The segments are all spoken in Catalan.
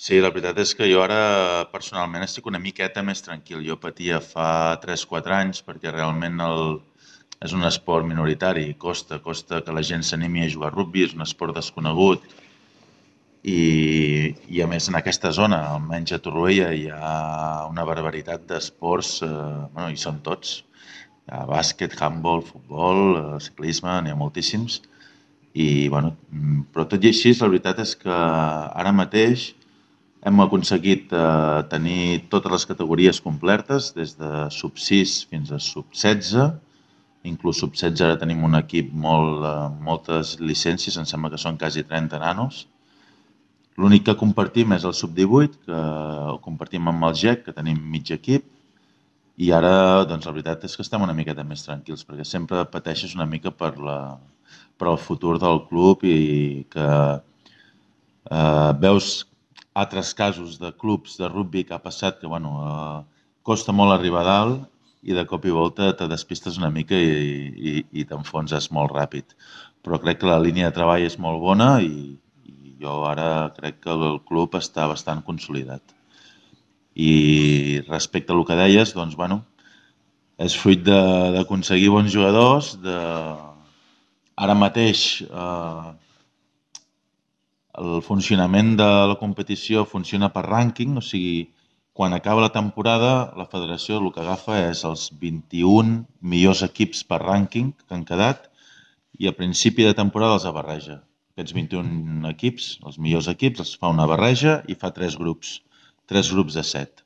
Sí, la veritat és que jo ara personalment estic una miqueta més tranquil. Jo patia fa 3-4 anys perquè realment és un esport minoritari, costa que la gent s'animi a jugar a rugbi, és un esport desconegut i a més en aquesta zona, almenys a Torroella, hi ha una barbaritat d'esports, bueno, hi són tots. Hi ha bàsquet, handball, futbol, ciclisme, n'hi ha moltíssims. I, bueno, però tot i així, la veritat és que ara mateix hem aconseguit tenir totes les categories complertes, des de sub 6 fins a sub 16. Inclús sub 16 ara tenim un equip moltes llicències, em sembla que són quasi 30 nanos. L'únic que compartim és el sub 18, que ho compartim amb el GEC, que tenim mig equip, i ara, doncs, la veritat és que estem una miqueta més tranquils, perquè sempre pateixes una mica per el futur del club i que veus altres casos de clubs de rugbi que ha passat que, bueno, costa molt arribar a dalt i de cop i volta te despistes una mica i t'enfonses molt ràpid. Però crec que la línia de treball és molt bona i jo ara crec que el club està bastant consolidat. I respecte a el que deies, doncs, bueno, és fruit d'aconseguir bons jugadors, ara mateix el funcionament de la competició funciona per rànquing, o sigui, quan acaba la temporada, la federació el que agafa és els 21 millors equips per rànquing que han quedat i a principi de temporada els barreja. Aquests 21 equips, els millors equips, els fa una barreja i fa tres grups de 7.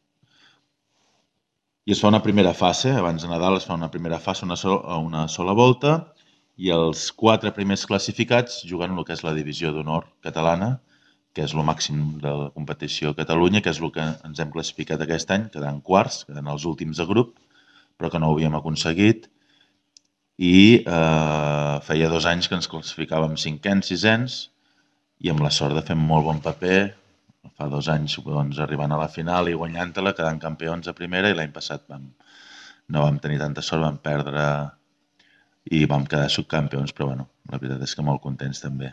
I es fa una primera fase, abans de Nadal es fa una primera fase, una sola volta, i els 4 primers classificats juguen el que és la divisió d'honor catalana, que és el màxim de la competició a Catalunya, que és el que ens hem classificat aquest any, quedant quarts, quedant els últims de grup, però que no ho havíem aconseguit, i feia 2 anys que ens classificàvem cinquens, sisens, i amb la sort de fer un molt bon paper, fa 2 anys doncs, arribant a la final i guanyant-la, quedant campions a primera, i l'any passat no vam tenir tanta sort, vam perdre i vam quedar subcampions, però bueno, la veritat és que molt contents també.